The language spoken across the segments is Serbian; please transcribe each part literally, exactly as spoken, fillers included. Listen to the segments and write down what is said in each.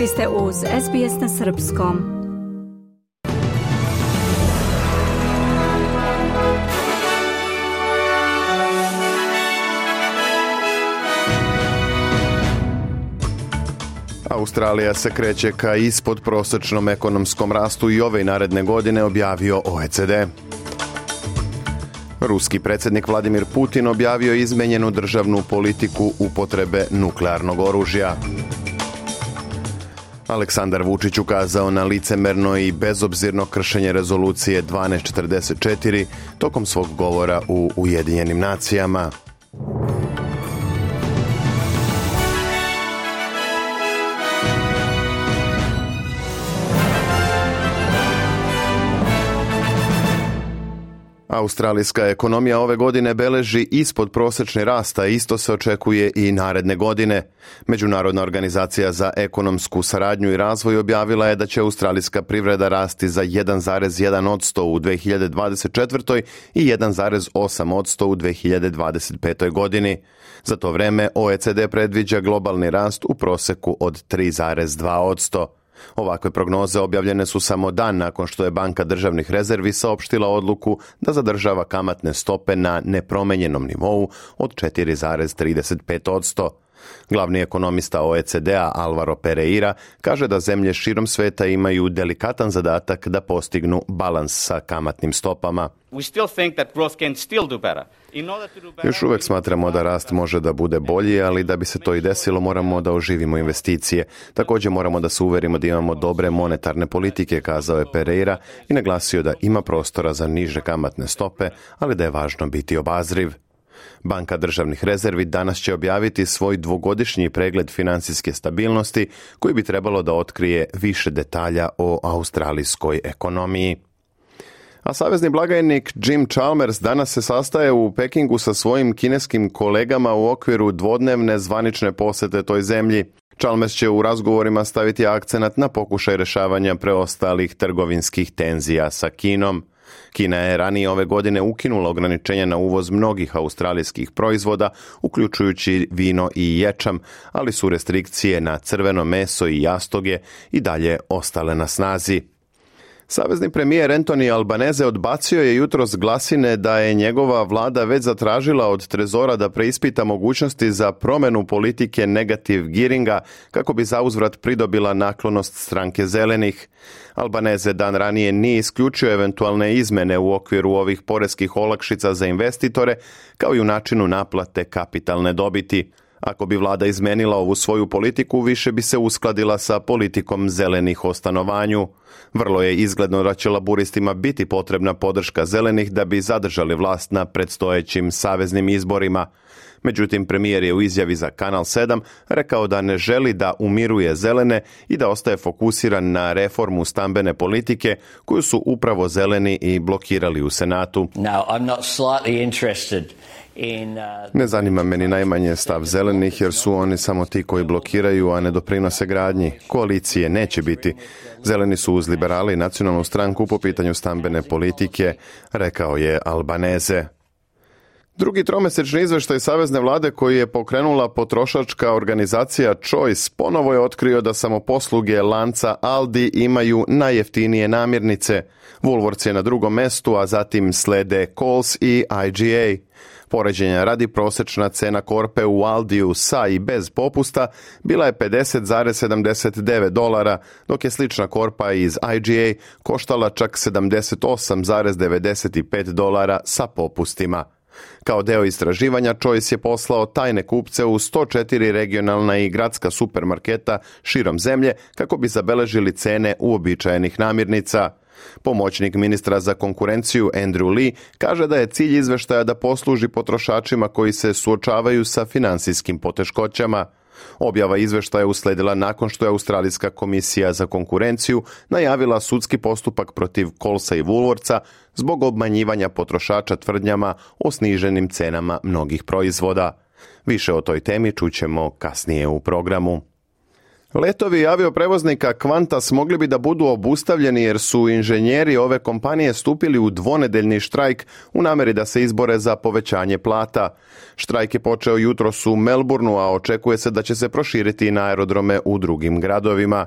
Vi ste uz S B S na srpskom. Australija se kreće ka ispodprosječnom ekonomskom rastu i ove i naredne godine, objavio O E C D. Ruski predsjednik Vladimir Putin objavio izmenjenu državnu politiku upotrebe nuklearnog oružja. Aleksandar Vučić ukazao na licemerno i bezobzirno kršenje rezolucije dvanaest četrdeset četiri tokom svog govora u Ujedinjenim nacijama. Australijska ekonomija ove godine beleži ispodprosječni rast, a isto se očekuje i naredne godine. Međunarodna organizacija za ekonomsku saradnju i razvoj objavila je da će australijska privreda rasti za jedan zarez jedan posto u dve hiljade dvadeset četvrtoj i jedan zarez osam posto u dve hiljade dvadeset petoj godini. Za to vreme O E C D predviđa globalni rast u proseku od tri zarez dva posto. Ovakve prognoze objavljene su samo dan nakon što je Banka državnih rezervi saopštila odluku da zadržava kamatne stope na nepromenjenom nivou od četiri zarez trideset pet posto. Glavni ekonomista O E C D-a Alvaro Pereira kaže da zemlje širom sveta imaju delikatan zadatak da postignu balans sa kamatnim stopama. Još uvijek smatramo da rast može da bude bolji, ali da bi se to i desilo moramo da oživimo investicije. Također moramo da se uverimo da imamo dobre monetarne politike, kazao je Pereira i naglasio da ima prostora za niže kamatne stope, ali da je važno biti obazriv. Banka državnih rezervi danas će objaviti svoj dvogodišnji pregled financijske stabilnosti koji bi trebalo da otkrije više detalja o australijskoj ekonomiji. A savezni blagajnik Jim Chalmers danas se sastaje u Pekingu sa svojim kineskim kolegama u okviru dvodnevne zvanične posete toj zemlji. Chalmers će u razgovorima staviti akcenat na pokušaj rješavanja preostalih trgovinskih tenzija sa Kinom. Kina je ranije ove godine ukinula ograničenja na uvoz mnogih australijskih proizvoda, uključujući vino i ječam, ali su restrikcije na crveno meso i jastoge i dalje ostale na snazi. Savezni premijer Anthony Albanese odbacio je jutros glasine da je njegova vlada već zatražila od Trezora da preispita mogućnosti za promjenu politike negative gearinga kako bi zauzvrat pridobila naklonost stranke zelenih. Albanese dan ranije nije isključio eventualne izmene u okviru ovih poreskih olakšica za investitore, kao i u načinu naplate kapitalne dobiti. Ako bi vlada izmenila ovu svoju politiku, više bi se uskladila sa politikom zelenih o stanovanju. Vrlo je izgledno da će laburistima biti potrebna podrška zelenih da bi zadržali vlast na predstojećim saveznim izborima. Međutim, premijer je u izjavi za Kanal sedam rekao da ne želi da umiruje zelene i da ostaje fokusiran na reformu stambene politike koju su upravo zeleni i blokirali u Senatu. No, I'm not slightly interested. Ne zanima me ni najmanje stav zelenih jer su oni samo ti koji blokiraju, a ne doprinose gradnji. Koalicije neće biti. Zeleni su uz liberali i nacionalnu stranku po pitanju stambene politike, rekao je Albanese. Drugi tromesečni izveštaj savezne vlade koji je pokrenula potrošačka organizacija Choice ponovo je otkrio da samoposluge lanca Aldi imaju najjeftinije namirnice. Woolworths je na drugom mestu, a zatim slede Coles i I G A. Poređenja radi, prosječna cena korpe u Aldiju sa i bez popusta bila je pedeset zarez sedamdeset devet dolara, dok je slična korpa iz I G A koštala čak sedamdeset osam zarez devedeset pet dolara sa popustima. Kao deo istraživanja, Choice je poslao tajne kupce u sto četiri regionalna i gradska supermarketa širom zemlje kako bi zabeležili cene uobičajenih namirnica. Pomoćnik ministra za konkurenciju Andrew Lee kaže da je cilj izveštaja da posluži potrošačima koji se suočavaju sa financijskim poteškoćama. Objava izveštaja usledila nakon što je Australijska komisija za konkurenciju najavila sudski postupak protiv Colesa i Woolworthsa zbog obmanjivanja potrošača tvrdnjama o sniženim cenama mnogih proizvoda. Više o toj temi čućemo kasnije u programu. Letovi avioprevoznika Qantas mogli bi da budu obustavljeni jer su inženjeri ove kompanije stupili u dvonedeljni štrajk u nameri da se izbore za povećanje plata. Štrajk je počeo jutros u Melbourneu, a očekuje se da će se proširiti i na aerodrome u drugim gradovima.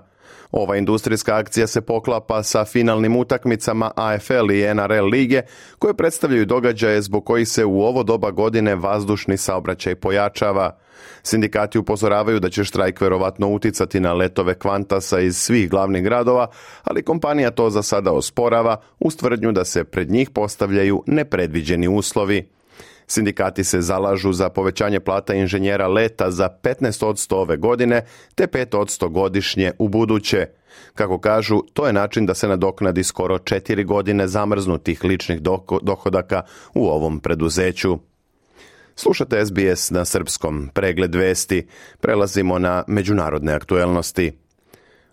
Ova industrijska akcija se poklapa sa finalnim utakmicama A F L i N R L lige, koje predstavljaju događaje zbog kojih se u ovo doba godine vazdušni saobraćaj pojačava. Sindikati upozoravaju da će štrajk verovatno uticati na letove Qantasa iz svih glavnih gradova, ali kompanija to za sada osporava uz tvrdnju da se pred njih postavljaju nepredviđeni uslovi. Sindikati se zalažu za povećanje plata inženjera leta za petnaest posto ove godine te pet posto godišnje u buduće. Kako kažu, to je način da se nadoknadi skoro četiri godine zamrznutih ličnih dohodaka u ovom preduzeću. Slušate S B S na srpskom, pregled vesti. Prelazimo na međunarodne aktuelnosti.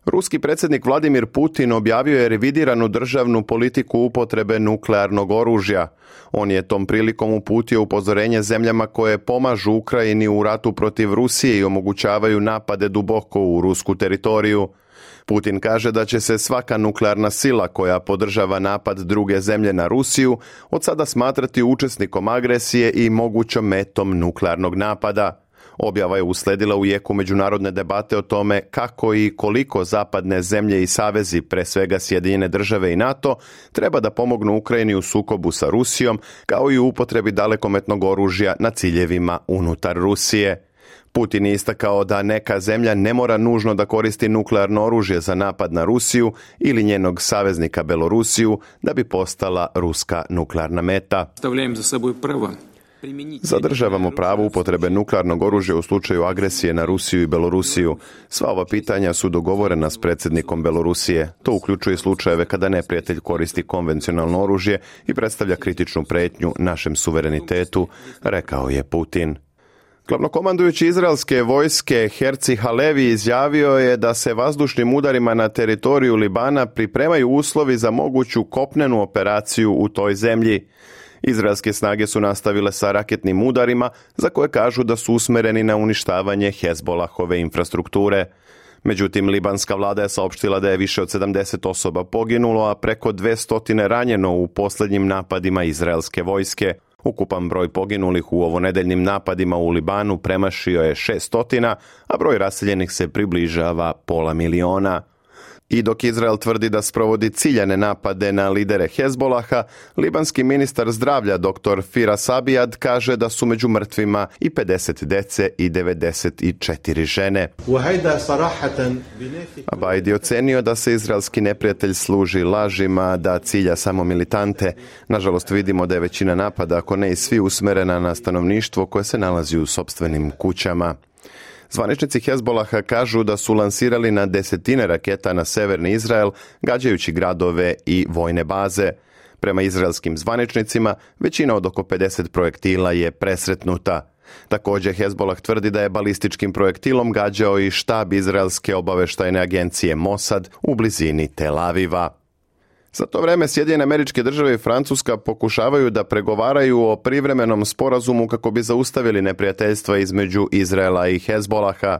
Ruski predsjednik Vladimir Putin objavio je revidiranu državnu politiku upotrebe nuklearnog oružja. On je tom prilikom uputio upozorenje zemljama koje pomažu Ukrajini u ratu protiv Rusije i omogućavaju napade duboko u rusku teritoriju. Putin kaže da će se svaka nuklearna sila koja podržava napad druge zemlje na Rusiju od sada smatrati učesnikom agresije i mogućom metom nuklearnog napada. Objava je usledila u jeku međunarodne debate o tome kako i koliko zapadne zemlje i savezi, pre svega Sjedinjene države i NATO, treba da pomognu Ukrajini u sukobu sa Rusijom, kao i u upotrebi dalekometnog oružja na ciljevima unutar Rusije. Putin je istakao da neka zemlja ne mora nužno da koristi nuklearno oružje za napad na Rusiju ili njenog saveznika Belorusiju da bi postala ruska nuklearna meta. Stavljam za seboj prvo. Zadržavamo pravo upotrebe nuklearnog oružja u slučaju agresije na Rusiju i Belorusiju. Sva ova pitanja su dogovorena s predsjednikom Belorusije. To uključuje slučajeve kada neprijatelj koristi konvencionalno oružje i predstavlja kritičnu pretnju našem suverenitetu, rekao je Putin. Glavnokomandujući izraelske vojske Herci Halevi izjavio je da se vazdušnim udarima na teritoriju Libana pripremaju uslovi za moguću kopnenu operaciju u toj zemlji. Izraelske snage su nastavile sa raketnim udarima za koje kažu da su usmereni na uništavanje Hezbolahove infrastrukture. Međutim, libanska vlada je saopštila da je više od sedamdeset osoba poginulo, a preko dvesta ranjeno u posljednjim napadima izraelske vojske. Ukupan broj poginulih u ovonedeljnim napadima u Libanu premašio je šesnaest, a broj raseljenih se približava pola miliona. I dok Izrael tvrdi da sprovodi ciljane napade na lidere Hezbolaha, libanski ministar zdravlja dr. Firas Abiad kaže da su među mrtvima i pedeset dece i devedeset četiri žene. Abaid je ocenio da se izraelski neprijatelj služi lažima, da cilja samo militante. Nažalost, vidimo da je većina napada, ako ne i svi, usmerena na stanovništvo koje se nalazi u sopstvenim kućama. Zvaničnici Hezbolaha kažu da su lansirali na desetine raketa na severni Izrael, gađajući gradove i vojne baze. Prema izraelskim zvaničnicima, većina od oko pedeset projektila je presretnuta. Također, Hezbolah tvrdi da je balističkim projektilom gađao i štab izraelske obaveštajne agencije Mossad u blizini Tel Aviva. Za to vreme Sjedinjene Američke Države i Francuska pokušavaju da pregovaraju o privremenom sporazumu kako bi zaustavili neprijateljstva između Izraela i Hezbolaha.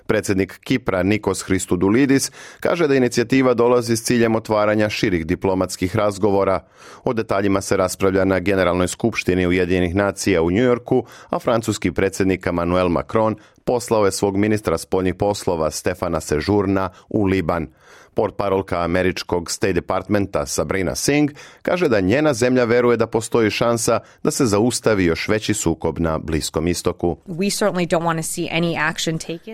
Predsjednik Kipra Nikos Christodoulidis kaže da inicijativa dolazi s ciljem otvaranja širih diplomatskih razgovora. O detaljima se raspravlja na Generalnoj skupštini Ujedinjenih nacija u Njujorku, a francuski predsjednik Emmanuel Macron poslao je svog ministra spoljnih poslova Stefana Sejourna u Liban. Portparolka američkog State Departmenta Sabrina Singh kaže da njena zemlja veruje da postoji šansa da se zaustavi još veći sukob na Bliskom istoku.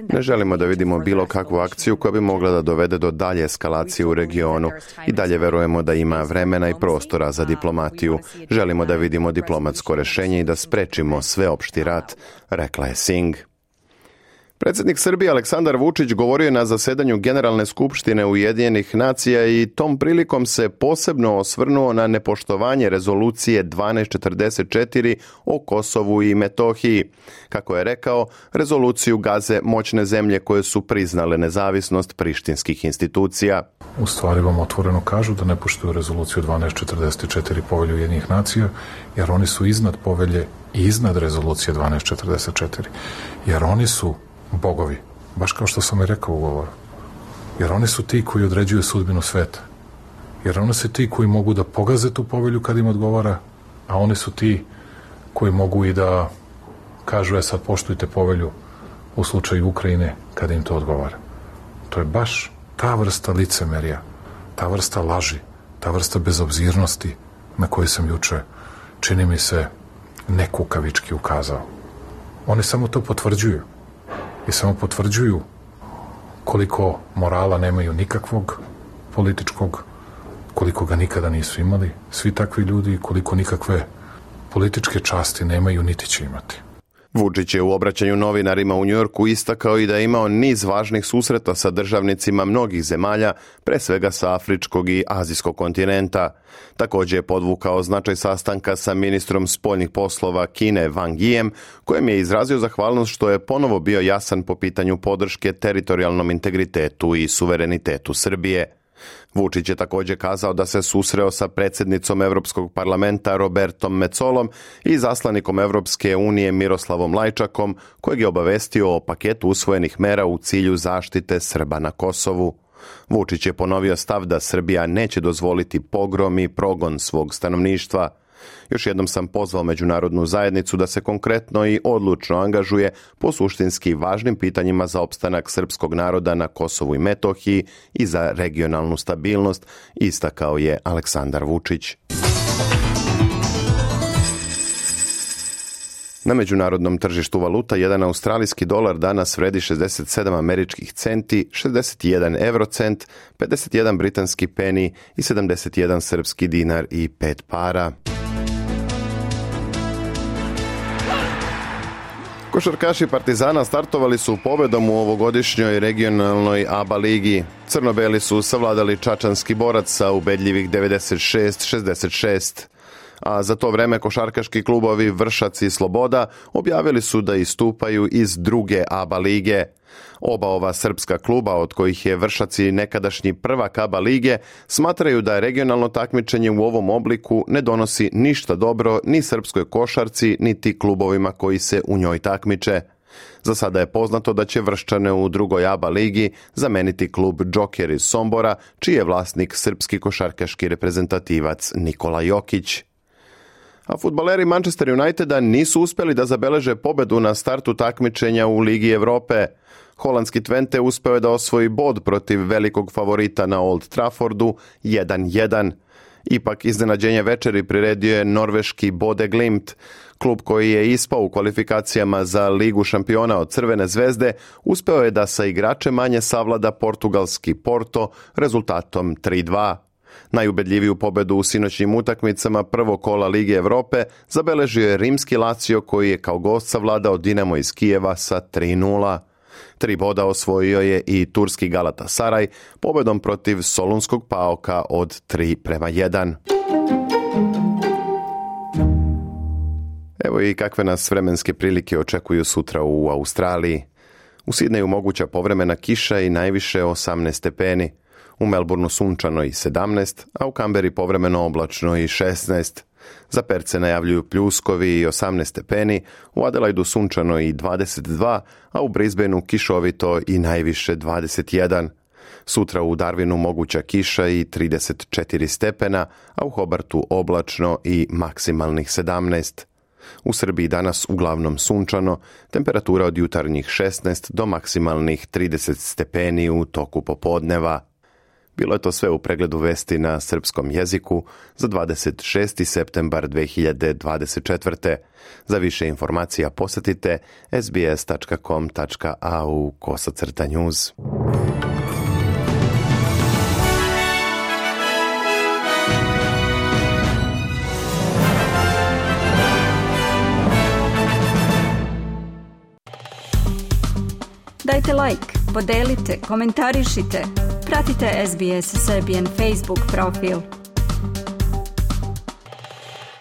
Ne želimo da vidimo bilo kakvu akciju koja bi mogla da dovede do dalje eskalacije u regionu i dalje verujemo da ima vremena i prostora za diplomatiju. Želimo da vidimo diplomatsko rješenje i da sprečimo sveopšti rat, rekla je Singh. Predsjednik Srbije Aleksandar Vučić govorio je na zasedanju Generalne skupštine Ujedinjenih nacija i tom prilikom se posebno osvrnuo na nepoštovanje rezolucije dvanaest četrdeset četiri o Kosovu i Metohiji. Kako je rekao, rezoluciju gaze moćne zemlje koje su priznale nezavisnost prištinskih institucija. U stvari vam otvoreno kažu da ne poštuju rezoluciju dvanaest četrdeset četiri Povelje Ujedinjenih nacija, jer oni su iznad povelje i iznad rezolucije dvanaest četrdeset četiri, jer oni su bogovi Baš kao što sam i rekao u govoru. Jer oni su ti koji određuju sudbinu sveta. Jer oni su ti koji mogu da pogaze tu povelju kad im odgovara, a oni su ti koji mogu i da kažu, e sad poštujte povelju u slučaju Ukrajine kada im to odgovara. To je baš ta vrsta licemerja, ta vrsta laži, ta vrsta bezobzirnosti na koju sam juče, čini mi se, nekukavički ukazao. Oni samo to potvrđuju. I samo potvrđuju koliko morala nemaju nikakvog političkog, koliko ga nikada nisu imali svi takvi ljudi i koliko nikakve političke časti nemaju niti će imati. Vučić je u obraćanju novinarima u Njujorku istakao i da je imao niz važnih susreta sa državnicima mnogih zemalja, pre svega sa afričkog i azijskog kontinenta. Također je podvukao značaj sastanka sa ministrom spoljnih poslova Kine Wang Yijem, kojem je izrazio zahvalnost što je ponovo bio jasan po pitanju podrške teritorijalnom integritetu i suverenitetu Srbije. Vučić je također kazao da se susreo sa predsjednicom Evropskog parlamenta Robertom Metsolom i zaslanikom Evropske unije Miroslavom Lajčakom, kojeg je obavestio o paketu usvojenih mera u cilju zaštite Srba na Kosovu. Vučić je ponovio stav da Srbija neće dozvoliti pogrom i progon svog stanovništva. Još jednom sam pozvao međunarodnu zajednicu da se konkretno i odlučno angažuje po suštinski važnim pitanjima za opstanak srpskog naroda na Kosovu i Metohiji i za regionalnu stabilnost, istakao je Aleksandar Vučić. Na međunarodnom tržištu valuta jedan australijski dolar danas vredi šezdeset sedam američkih centi, šezdeset jedan eurocent, pedeset jedan britanski peni i sedamdeset jedan srpski dinar i pet para. Košarkaši Partizana startovali su pobedom u ovogodišnjoj regionalnoj A B A ligi. Crno-beli su savladali čačanski Borac sa ubedljivih devedeset šest šezdeset šest. A za to vreme košarkaški klubovi Vršac i Sloboda objavili su da istupaju iz druge A B A lige. Oba ova srpska kluba, od kojih je Vršac i nekadašnji prvak A B A lige, smatraju da regionalno takmičenje u ovom obliku ne donosi ništa dobro ni srpskoj košarci, niti klubovima koji se u njoj takmiče. Za sada je poznato da će Vrščane u drugoj A B A ligi zameniti klub Džoker iz Sombora, čiji je vlasnik srpski košarkaški reprezentativac Nikola Jokić. A fudbaleri Manchester Uniteda nisu uspjeli da zabeleže pobedu na startu takmičenja u Ligi Evrope. Holandski Twente uspeo je da osvoji bod protiv velikog favorita na Old Traffordu jedan jedan. Ipak iznenađenje večeri priredio je norveški Bode Glimt. Klub koji je ispao u kvalifikacijama za Ligu šampiona od Crvene zvezde uspeo je da sa igrače manje savlada portugalski Porto rezultatom tri dva. Najubedljiviju pobedu u sinoćnim utakmicama prvog kola Lige Evrope zabeležio je rimski Lazio koji je kao gost savladao Dinamo iz Kijeva sa tri nula. Tri boda osvojio je i turski Galatasaray pobedom protiv solunskog Paoka od tri prema jedan. Evo i kakve nas vremenske prilike očekuju sutra u Australiji. U Sidneju moguća povremena kiša i najviše osamnaest stepeni. U Melbourneu sunčano i sedamnaest, a u Kamberi povremeno oblačno i šesnaest. Za Perce najavljuju pljuskovi i osamnaest stepeni, u Adelaidu sunčano i dvadeset dva, a u Brisbaneu kišovito i najviše dvadeset jedan. Sutra u Darwinu moguća kiša i trideset četiri stepena, a u Hobartu oblačno i maksimalnih sedamnaest. U Srbiji danas uglavnom sunčano, temperatura od jutarnjih šesnaest do maksimalnih trideset stepeni u toku popodneva. Bilo je to sve u pregledu vesti na srpskom jeziku za dvadeset šesti septembar dve hiljade dvadeset četvrte. Za više informacija posjetite es be es tačka com tačka a u kosacrta news. Dajte like, podelite, komentarišite. Pratite S B S Serbian Facebook profil.